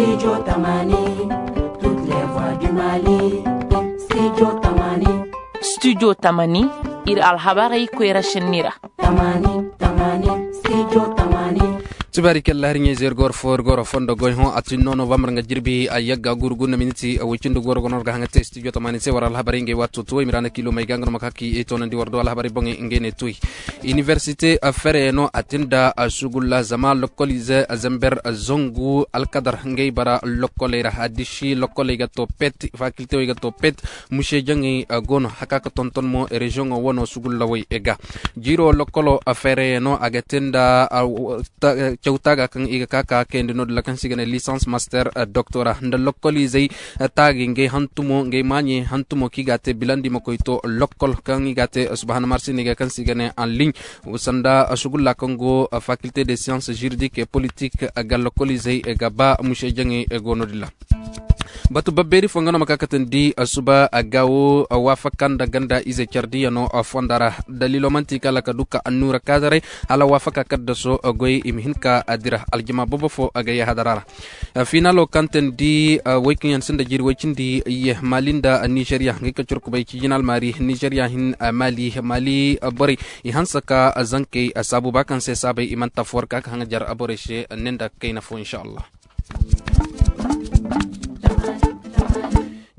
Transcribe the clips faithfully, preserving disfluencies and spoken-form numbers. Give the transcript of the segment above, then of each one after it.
Studio Tamani, toutes les voix du Mali. Studio Tamani. Studio Tamani, iri alhabarey koyra senni ra. Tamani, Tamani, Studio Tamani. Tibaari kalla hari ɲayze iri goro fo iri goro fondo goy hõ a tin no novembre nga jirbi a yagga guru gunda miniti a way cindi goro gono ga haŋa te studio tamani se war alhabarey ngey waato tuway mirana kilo may ga nga no ma ka ki e toonandi war do alhabarey boŋey ngey ne tuy. Université a fere no a tinda a sugulla zama lokolize a zamber a zangu alkadar ngey bara lokoley ra a disi lokoley ga to pet faculté wey ga to pet. Muse jaŋey a gono haka ka tonton mo région wano sugulla way e ga. Jiro lokolo a fere no a ga tinda a cawta ga kaŋ i ga ka ka kayandi no da lakansi ga ne licence master doctora nda lokolize. Taagi ngey hantumo ngey maaɲey hantumo kaŋ i ga a te bilandi ma koy to lokol kaŋ i ga a te subahana marsi ne ga kaŋ se i ga ne en ligne. Sanda sugulla kaŋ go faculté de science juridique et politique ga lokolize ga ba muse jaŋey go no din ra. Batu babbeeri fo nga no ma ka katandi suba a ga wo waafaka nda ganda ize care diya no fonda ra. Daliilo manti kala ka du ka annuura kaadaray hala waafaka kaddaso goy i ma hin ka dira aljama boobo fo a ga yahadara ra. Finalo kaŋ tandi way kaŋ yaŋ sinda jiiri way cindi ye mali nda nizeriya ngey ka curkubay cijinal maari nizeriya hin mali mali borey i hanse ka zankey saabu ba kaŋ se saabay i mana tafu war ka ka haŋajar borey se ne nda kayna fo inshallah.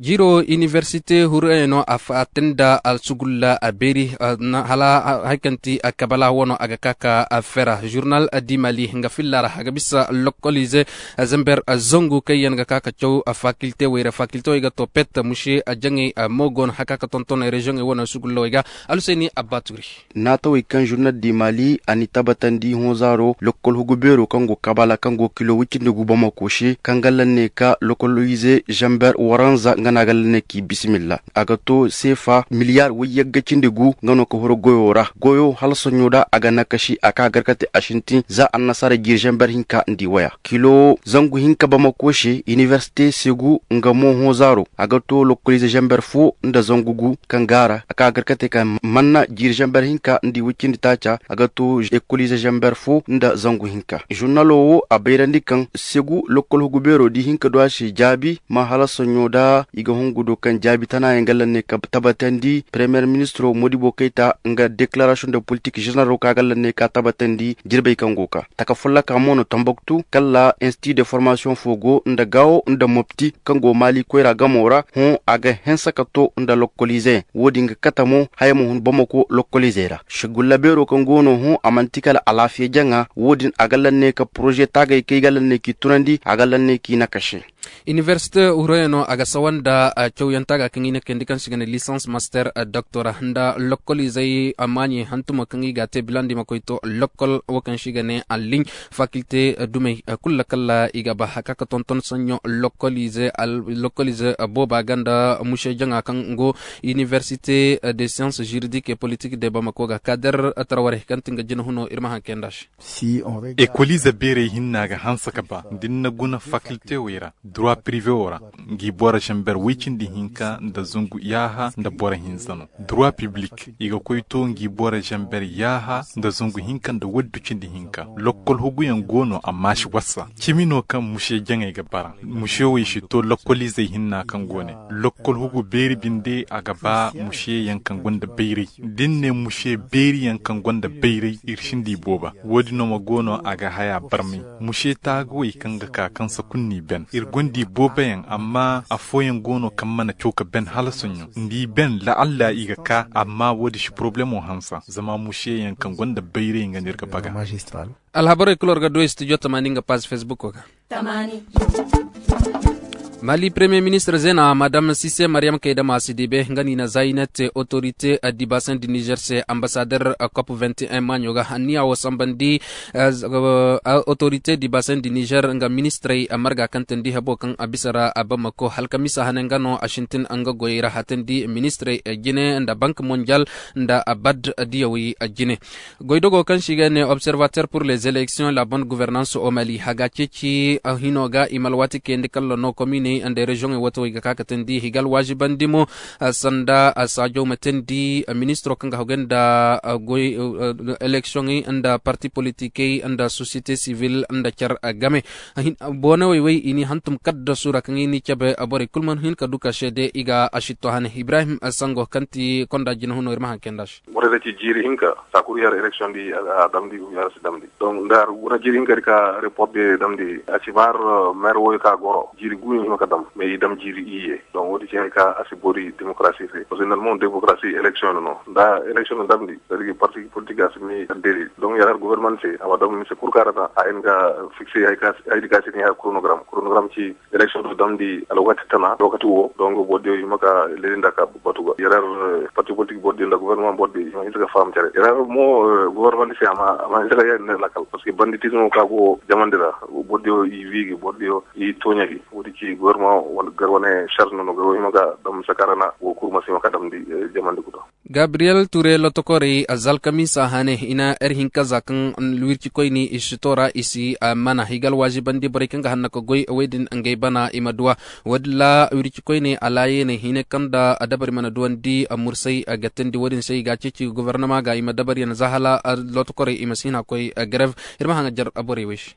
Jiiro iniversite hurayey no a fatin da alsugulla a beeri hala hari kaŋ ti kabala wano a ga ka ka fera journal di mali nga filla ra a ga bisa lokolize zamber zangu kaŋ yaŋ ga ka ka caw fakilte wayra fakilte wey ga to pet muse jaŋey mo go no haka ka tonton reziyoŋey wano sugulla wey ga. Alhusayni abba turi. Naatawey kaŋ zurnal di maali a n'i tabatandi hõ zaaro lokkol hugu beero kaŋ go kabala kaŋ go kilo wicindi gu bamako se kaŋ ga lanne ka lokkol ize zamber waranza nga no a ga lanne k'i bisimilla. A ga to seefa miliyar wayyagga cindi gu nga no ka huru goyo ra goyo hala soɲo da a ga nakasi a ka gar ka te a sintin za annasaara jiiri zamber hinka nda i waya kilo zangu hinka bamako se iniversite segu nga mo hõ zaaro a ga to lokkol ize zamber fo nda zangu gu kaŋ gaara a ka gar ka te ka manna jiiri zamber hinka nda i wicindi taaca a ga to ekolize zamber fo nda zangu hinka zurnalo wo a bayrandi kaŋ segu lokkol hugu beero da i hinka du a se jaabi ma hala soɲo da i ga hungu do kaŋ jaabi tana yaŋ ga lanne ka tabatandi premiyer ministiro modibo kayta nga deklarasion de politik zeneralo kaŋ a ga lanne ka tabatandi jirbey kaŋ go ka taka folloka mo no tambaktu kala institu de formasiyoŋ fo go nda gaawo nda mopti kaŋ go maali koyra gamo ra hõ a ga hense ka to nda lokkolize wo- din ga kate mo haya ma hun bamako lokkolize ra sigulla beero kaŋ go no hõ a manti kala alaafiya jaŋa wo- din a ga lanne ka poroze taagay kaŋ i ga lanne k'i tunandi a ga lanne k'i nakase. Iniversite hurayey no a ga sawa nda cawyaŋ taaga kaŋ i na kayandi kaŋ se i ga ne lisans master doktora nda lokkolizey maaɲey hantumo kaŋ i ga a te bilandi ma koy to lokkol wo kaŋ se i ga ne anliɲ fakilte dumey kulu kala i ga ba haka ka tonton sanɲo lokkolize booba ganda muse jaŋa kaŋ go iniversite de science juridique et politique de bamako ga kader tarwarey kaŋ ti nga jina huno iri ma haŋ kayandi a se. Ekolize beerey hinna ga hanse ka ba da ni na guna fakilte wey ra dura pirive wo ra ngi boro zamber woy cindi hinka nda zangu yaaha nda boro hinza no dura piblik i ga koy to ngi boro zamber yaaha nda zangu hinka nda waddu cindi hinka lokkol huguyaŋ go no amma si wasa cimi no kaŋ muse jaŋey ga bara muse wey si to lokkolizey hinna kaŋ go ne lokkol hugu beeri binde a ga ba muse yaŋ kaŋ gonda bayray da ni ne muse beeri yaŋ kaŋ gonda bayray iri sinda i booba wo- din no ma go no a ga haya barmay muse taagawey kaŋ ga ka kaŋ sakunni ben iri gonda i boobayaŋ amma afooyaŋ go no kaŋ mana caw ka ben hala soɲo nda i ben la'alla i ga ka amma wo- din si poroblemo hansa zama muse yaŋ kaŋ gonda bayray nga no iri ga baga. Alhabarey kulu war ga du studio tamaani nga paazi facebook ga. Mali premier ministre zeena madam sise maryam kayda maasi diibe nga no i na zaayinat autorité dibasin di niger se ambassadeur cop vingt et un maaɲo ga hanniya wo sambandi autorité dibasin di niger nga ministrey marga kaŋ tandi habo kaŋ a bisa ra bamako halkamisa hane nga no a sintin nga goyey ra hatandi ministrey jine nda bank mondial nda bad diyawey jine. Goydogo kaŋ se i ga ne observateur pour les élections la bonne gouvernance au mali haga ceeci hino ga i ma alwaati kayandi kala no komine nda reziyoŋey wate wo i ga ka ga teendi higal waazibandi mo. Sanda saajo ma teendi ministiro kaŋ ga hagu nda goy eleksiyoŋey nda parti politikey nda sosiyete sibil nda care game. Boonawey wey i n'i hantum kaddasu ra kaŋ i n'i cabe borey kulu mana hin ka du ka seede i ga asitto hane ibrahim sango kaŋ ti konda jina huno iri ma haŋ kayndi a se. Borey da ci jiiri hinka saakuru yar eleksiyoŋ di a damndi gu yar si damndi. Donk nda har guna jiiri hinka di ka report di damndi a si maar meer wooyo ka goro jiiri gu no i hima ka dam mais i dam jiiri iyye. Donk wo- din ci hari ka a si boori demokarasi se parceque nda almon demokarasi eleksiyoŋ no nda eleksiyoŋ no damndi. Parti politik a si mi addeli donk yar har gobornamandi se a ma dam mise kulu kaŋ a ra ta a hin ga fikse hari di ka a si ne hari koronogaram koronogaram ci eleksiyoŋ do damndi alwaati tana lokaci wo donk boro diyo i ma ka leedi nda ka batu ga yar har parti politik boro diyo nda gobornama boro diyo i ma hinse ga faham care yar har mo gobornamandi se a ma hinse ga yaadin nda lakkal parceque banditizmo ka go jamandi ra boro diyo i wiigi boro diyo i tooɲa gi wo- din ci gobornama gar wane sarz no no ga wo hima ga dam sakaarana wo kulu ma si hima ka damndi jamandi kuta. Gabriyel ture lotokorey a za alkamiisa hane i na yer hinka za kaŋ wircikoyne i si to ra i si mana i ga alwaazibandi borey kaŋ ga hanna ka goy wey din ngey bana i ma duw'a. Wo- din ra wircikoyne alaayeeney hine kaŋ nda dabari mana duwandi mursay ga teendi wo- din se i ga a ceeci gobornama ga i ma dabariyaŋ za hala lotokorey i ma si hin a koy garev. Iri ma haŋ a jar borey wey se.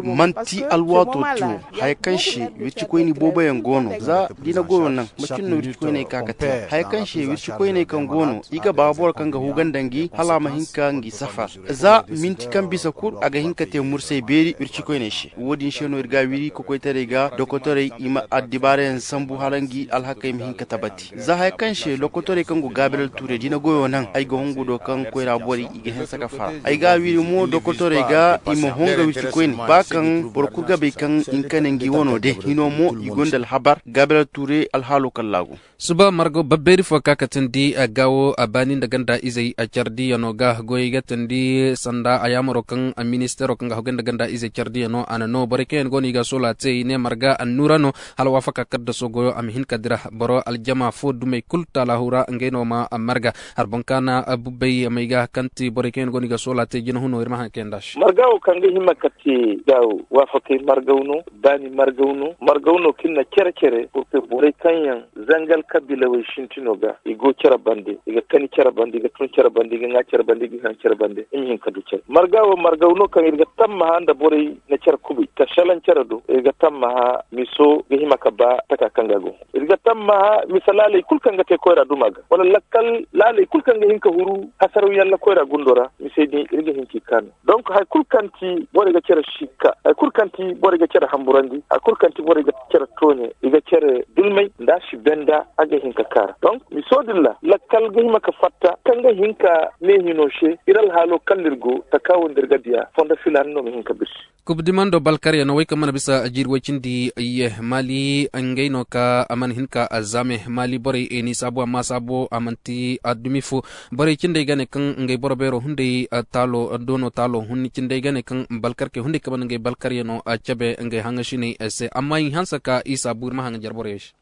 Manti alwaato ti wo haya kaŋ se wircikoyne booboyaŋ go no za da i na goyo naŋ macin no wircikoyney ka ga te haya kaŋ se wircikoyney kaŋ go no i ga ba boro kaŋ ga huganda ngi hala a ma hin ka ngi safar. Za minti kaŋ bisa kulu a ga hin ka te mursay beeri wircikoyney se wo- din se no iri ga a wiri kokoytaray ga dokotorey i ma addibaarayaŋ sambu hala ngi alhakey ma hin ka tabati za haya kaŋ se lokotorey kaŋ go gaabelal tuurey da i na goyo naŋ ay ga hungu do kaŋ koyra borey i ga hanse ka fara ay ga a wiri mo dokotorey ga i ma honga wircikoyne ba kaŋ boro kulu ga bay kaŋ i na kane ngi wano day hino mo i gonda alhabar gaabelal tuurey alhaalo kallaagu. Suba margo babbeeri fo ka ka teendi gaawo a baani nda ganda izey care diyano ga goyey ga teendi sanda a yaamaro kaŋ ministeero kaŋ ga hagu nda ganda izey care diyano a na no borey kaŋ yaŋ go no i ga soola te i ne marga annuura no. Hala waafaka kaddaso goyo a ma hin ka dira boro aljama fo dumey kulu taalahu ra ngey no ma marga. Hari boŋ kaana bubbey may ga kaŋ ti borey kaŋ yaŋ go no i ga soola te jina huno iri ma haŋ kayandi a se. Marga wo kaŋ ga hima ka te gaawo waafakey margaw no baani margaw no margaw no kaŋ na care care purke borey kaŋ yaŋ zangal kabiilawey sintino ga i go care bande i ga kani care bande i ga tun care bande i ga ŋwa care bande i ga haŋ care bande i ma hin ka du care marga wo margaw no kaŋ iri ga tammaha nda borey na care kubay ka salaŋ care do iri ga tammaha miso ga hima ka ba taka kaŋ ga go iri ga tammaha misa laaley kulu kaŋ ga te koyra duma ga wala lakkal laaley kulu kaŋ ga hin ka huru hasaraw yalla koyra gundo ra misey din iri ga hin k'i kaanu donk hari kulu kaŋ ti borey ga care sikka hari kulu kaŋ ti borey ga care hamburandi hari kulu kaŋ ti borey ga care tooɲe i ga care dulmay nda a si benda a ga hin ka kaara donk miso din ra lakkal ga hima ka fatta kaŋ ga hin ka ne hino se iri alhaalo kaŋ no iri go taka wo nda iri ga diya fondo filaana no ma hin ka birsi. Kub dimando balkaryaŋo wey kaŋ mana bisa jiiri way cindi ye maali ngey no ka a mana hin ka zaame maali borey n'i saabu amma saabo a manti addumi fo. Borey cindey ga ne kaŋ ngey boro beero hunday taalo doono taalo hun cindey ga ne kaŋ balkarkey hunday kaŋ mana ngey balkaryaŋo cabe ngey haŋasiney se amma i hanse ka i saabu iri ma haŋ jar borey se.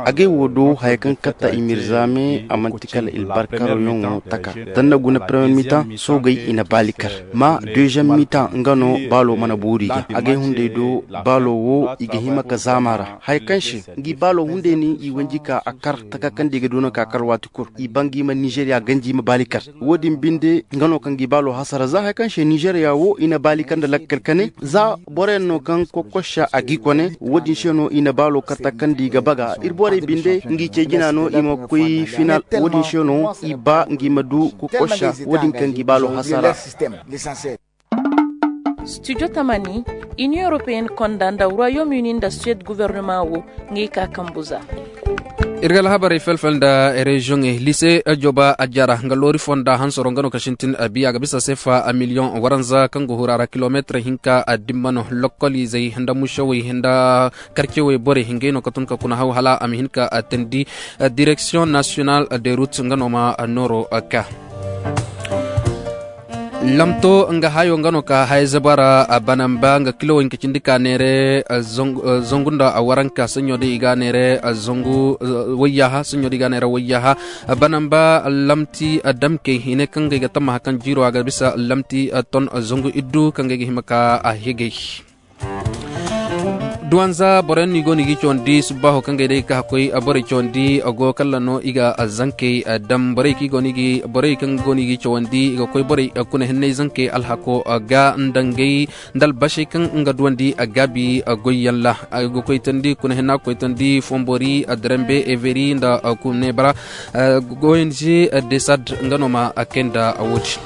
Agay wo do haya kaŋ katta i ma iri zaame a manti kala iri barkarayaŋo taka. Tanna guna premier mitan soogey i na baali kar ma deuxième mitan nga no baalo mana boori ga agay hunday do baalo wo i ga hima ka zaama ra haya kaŋ se ngi baalo hunday no i wanji ka a kar taka kaŋ da i ga du no ka kar waati kulu i banga i ma nizeeriya ganji i ma baali kar. Wo- din binde nga no kaŋ ga i baalo hasara za haya kaŋ se nizeeriya wo i na baali kar nda lakkal kane za boroyaŋ no kaŋ kokkosa a g'i kone wo- din se no i na baalo kar taka kaŋ da i ga baga iri borey binde ngi ce jina no i ma koy final wo- din se no i ba ngi ma du kokkosa wo- din kaŋ ga i baalo hasara. Studio tamani, Union Européenne konda nda Royaume Uni nda Suède gouvernement wo ngey ka kambu za. Iri ga alhabarey felfel nda reziyoŋey lise joba a jara nga loori fonda hansoro nga no ka sintin biya ga bisa sefa miliyoŋ waranza kaŋ go hura ra kilomeetir hinka dimma no lokoliizey nda musewey nda karcewey borey ngey no ka tun ka kuna haw hala a ma hin ka teendi. Direction national de route nga no ma nooro ka. Lamto nga hayo nga no ka haya zabara banamba nga kilo hinka cindi ka neere zangu nda waranka sanyo da i ga neere zangu wayyaha sanyo da i ga neere wayyaha. Banamba lamti damkey i ne kaŋ ga i ga tammaha kaŋ jiiro a ga bisa lamti ton zangu iddu kaŋ ga i ga hima ka a higay. Duwanza boroyaŋ no i go no i ga i cawandi subbaaho kaŋ ga ay day ga ka ga koy borey cawandi. Go kala no i ga zankey daŋ borey kaŋ go no i ga i cawandi i ga koy borey kuna hinney zankey alhako ga nda ngey nda albasey kaŋ nga duwandi gaabi goyyaŋ ra. Ga koytandi kuna hinna ga koytandi fombori, darembe, everi nda kunebra. Goyandi desad nga no ma kay nda wo- din.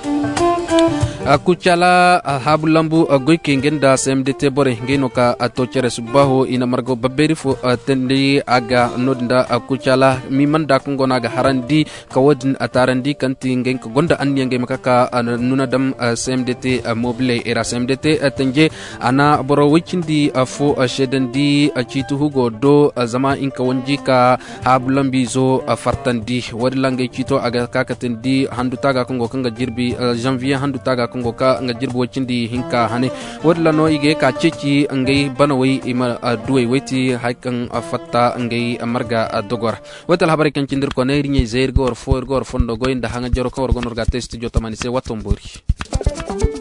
Kucala haabu lambu goykey ngey nda cmdt borey ngey no ka to care subbaaho i na margo babbeeri fo teendi a ga no- din nda kucala mimanda kaŋ go no a ga harandi ka wo- din taarandi kaŋ ti ngey ka gonda anniya ngey ma ka ka nuna daŋ cmdt mobiley ra cmdt tanje. A na boro way cindi fo seedandi ciiti hugo do zama nga ka wanji ka haabu lambiizo fartandi. Wo- din ra ngey ciito a ga ka ga teendi handu taaga kaŋ go kaŋ ga jirbi, zanviye handu taaga kaŋ go kaŋ ga jirbi way cindi hinka hane. Wo- din ra no i ga ye ka ceeci ngey banawey i ma duwey wayti hari kaŋ fatta ngey marga dogo ra. Wo- din alhabarey kaŋ cindi iri kone iri ɲey zay iri ga war fo iri ga war fondo goy nda haŋajaro kaŋ war go no iri ga a te studio tamani se watton boori.